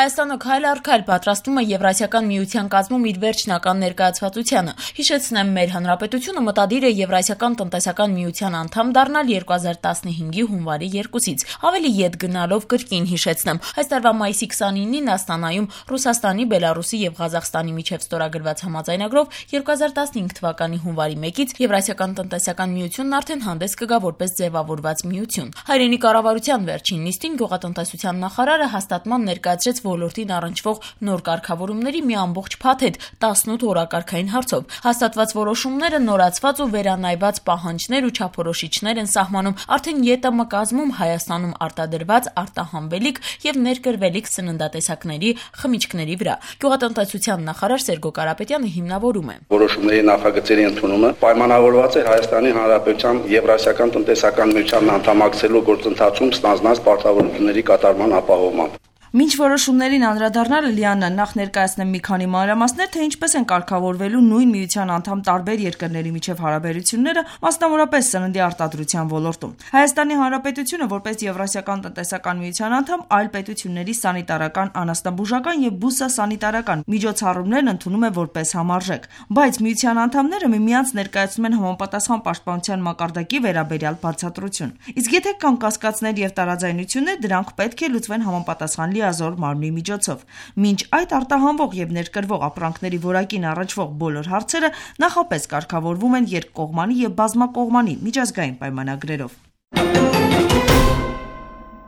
Հայաստանը քայլ առ քայլ պատրաստվում է Եվրասիական միության կազմում իր վերջնական ներկայացվածությանը։ Հիշեցնեմ, մեր հանրապետությունը մտադիր է Եվրասիական տնտեսական միության անդամ դառնալ 2015-ի հունվարի 2-ից։ Ավելի ետ գնալով կրկին հիշեցնեմ, այս տարվա մայիսի 29-ին Աստանայում Ռուսաստանի, Բելարուսի եւ Ղազախստանի միջև ստորագրված համաձայնագրով 2015 թվականի հունվարի 1-ից Եվրասիական տնտեսական միությունն արդեն հանդես կգա որպես ձևավորված միություն։ Հայրենի կառավարության վերջին նիստին գյուղատնտեսության նախարարը հաստատման ներկայացրեց ոլորտին առնչվող նոր կարգավորումների մի ամբողջ փաթեթ 18 օրակարգային հարցով։ Հաստատված որոշումները նորացված ու վերանայված պահանջներ ու չափորոշիչներ են սահմանում արդեն ԵՏՄ կազմում Հայաստանում արտադրված, արտահանվելիք եւ ներկրվելիք սննդատեսակների խմիչքների վրա։ Գյուղատնտեսության նախարար Սերգո Կարապետյանը հիմնավորում է. Որոշումների նախագծերի ընդունումը պայմանավորված է Հայաստանի Հանրապետության Եվրասիական տնտեսական միության անդամակցելու գործընթացում ստանձնած պարտավորությունների կատարման ապահովմամբ։ Մինչ որոշումներին անդրադառնալը Լիաննա նախ ներկայացնեմ մի քանի մանրամասներ, թե ինչպես են կարգավորվելու նույն միության անդամ տարբեր երկրների միջև հարաբերությունները, մասնավորապես սննդի արտադրության ոլորտում։ Հայաստանի Հանրապետությունը որպես Եվրասիական տնտեսական միության անդամ այլ պետությունների սանիտարական, անասնաբուժական եւ բուսասանիտարական միջոցառումներն ընդունում է որպես համարժեք, բայց միության անդամները միմյանց ներկայացնում են համապատասխան պաշտպանության մակարդակի վերաբերյալ բացատրություն։ Իսկ եթե կան կասկածներ եւ տարաձայնություններ, դրանք պետք է լուծվեն համապատասխան լիազոր մարմնի միջոցով։ Մինչ այդ արտահանվող եւ ներկրվող ապրանքների որակին առնչվող բոլոր հարցերը նախապես կարգավորվում են երկկողմանի եւ բազմակողմանի միջազգային պայմանագրերով։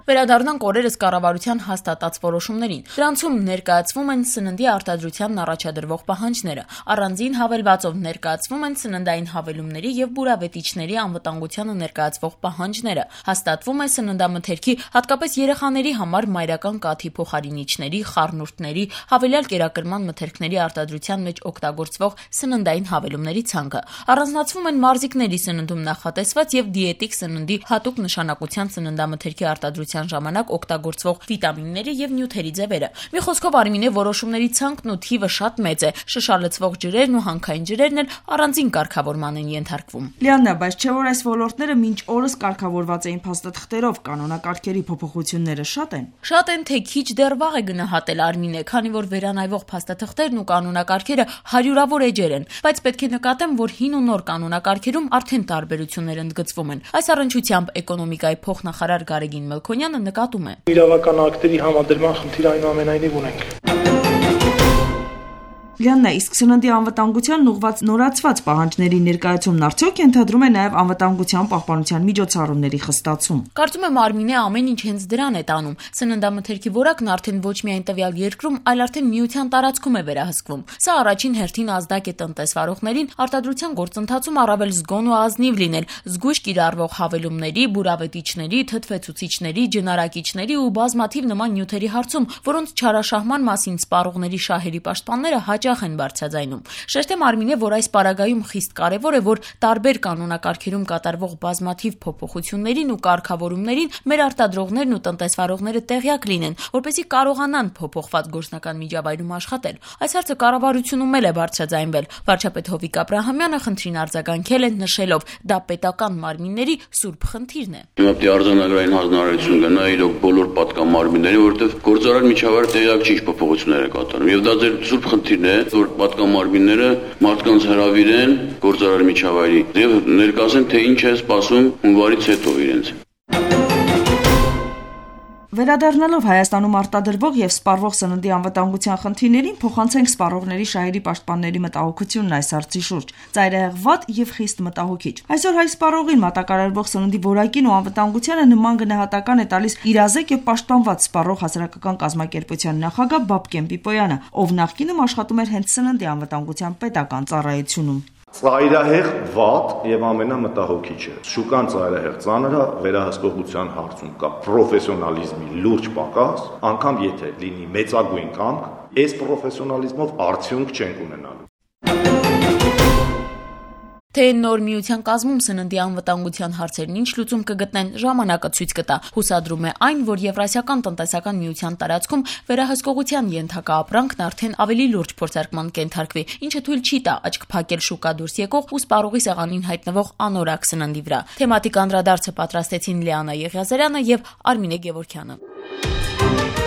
Վերադառնանք օրերս կառավարության հաստատած որոշումներին։ Դրանցում ներկայացվում են սննդի արտադրությանն առաջադրվող պահանջները, առանձին հավելվածով ներկայացվում են սննդային հավելումների եւ բուրավետիչների անվտանգությանը ներկայացվող պահանջները, հաստատվում է սննդամթերքի, հատկապես երեխաների համար մայրական կաթի փոխարինիչների, խառնուրդների, հավելյալ կերակրման մթերքների արտադրության մեջ օգտագործվող սննդային հավելումների ցանկը, առանձնացվում են մարզիկների սննդում նախատեսված եւ դիետիկ սննդի հատուկ նշանակության սննդամթերքի արտադրության ժամանակ օգտագործվող վիտամինների եւ նյութերի ձևերը։ Մի խոսքով Արմինե որոշումների ցանկն ու թիվը շատ մեծ է, շշալցվող ջրերն ու հանքային ջրերն էլ առանձին կարգավորման են ենթարկվում։ Լիաննա, բայց չէ՞ որ այս ոլորտները մինչ օրս կարգավորված էին փաստաթղթերով, կանոնակարգերի փոփոխությունները շատ են։ Շատ են, թե քիչ դեռ վաղ է գնահատել Արմինե, քանի որ վերանայվող փաստաթղթերն ու կանոնակարգերը հարյուրավոր էջեր են, բայց պետք է նկատեմ, որ հին ու նոր կանոնակարգերում արդեն տարբերություններ ընդգծվում են։ Այս առնչությամբ էկոնոմիկայի փոխնախարար Գարեգին Մելքոնյանը նկատում է. Իրավական ակտերի համադրման խնդիր այնուամենայնիվ ունենք։ Լիաննա, իսկ սննդի անվտանգությանն ուղղված նորացված պահանջների ներկայացումն արդյոք ենթադրում է նաև անվտանգության պահպանության միջոցառումների խստացում։ Կարծում եմ Արմինե ամեն ինչ հենց դրան է տանում։ Սննդամթերքի որակն արդեն ոչ միայն տվյալ երկրում, այլ արդեն միության տարածքում է վերահսկվում։ Սա առաջին հերթին ազդակ է տնտեսվարողներին արտադրության գործընթացում առավել զգոն ու ազնիվ լինել, զգույշ կիրառվող հավելումների, բուրավետիչների, թթվեցուցիչների, ջնարակիչների ու բազմաթիվ նման նյութերի հարցում, որոնց չարաշահման մասին սպառողների շահերի պաշտպանները հաճախ են բարձրաձայնում։ Շեշտեմ Արմինե, որ այս պարագայում խիստ կարևոր է, որ տարբեր կանոնակարգերում կատարվող բազմաթիվ փոփոխություններին ու կարգավորումներին մեր արտադրողներն ու տնտեսվարողները տեղյակ լինեն, որպեսզի կարողանան փոփոխված գործնական միջավայրում աշխատել։ Այս հարցը կառավարությունում էլ է բարձրաձայնվել։ Վարչապետ Հովիկ Աբրահամյանը խնդրին արձագանքել է նշելով, դա պետական մարմինների սուրբ խնդիրն է։ Պետք է արձանագրային հանձնարարություն գնա իրոք բոլոր պատկան մարմիններին, որովհետև գործարար միջավայրը տեղյակ չի ինչ փոփոխություններ է կատարում։ Եվ դա ձեր սուրբ խնդիրն է, որ պատկան մարմինները մարդկանց հրավիրեն գործարար միջավայրի եւ ներկայացնեն, թե ինչ է սպասում հունվարից հետո իրենց։ Վերադառնալով Հայաստանում արտադրվող եւ սպառվող սննդի անվտանգության խնդիրներին, փոխանցենք սպառողների շահերի պաշտպանների մտահոգությունն այս հարցի շուրջ։ Ծայրահեղ վատ եւ խիստ մտահոգիչ։ Այսօր հայ սպառողին մատակարարվող սննդի որակին ու անվտանգությանը նման գնահատական է տալիս իրազեկ եւ պաշտպանված սպառող հասարակական կազմակերպության նախագահ Բաբկեն Պիպոյանը, ով նախկինում աշխատում էր հենց սննդի անվտանգության պետական ծառայությունում։ Ծայրահեղ վատ եւ ամենամտահոգիչը շուկան ծայրահեղ ծանր է, վերահսկողության հարցում կա պրոֆեսիոնալիզմի լուրջ պակաս, անգամ եթե լինի մեծագույն կամք, այս պրոֆեսիոնալիզմով արդյունք չենք ունենալու։ Թե նոր միության կազմում սննդի անվտանգության հարցերն ինչ լուծում կգտնեն, ժամանակը ցույց կտա։ Հուսադրում է այն, որ Եվրասիական տնտեսական միության տարածքում վերահսկողության ենթակա ապրանքն արդեն ավելի լուրջ փորձարկման կենթարկվի, ինչը թույլ չի տա աչք փակել շուկա դուրս եկող ու սպառողի սեղանին հայտնվող անորակ սննդի վրա։ Թեմատիկ անդրադարձը պատրաստեցին Լիաննա Եղիազարյանը եւ Արմինե Գևորգյանը։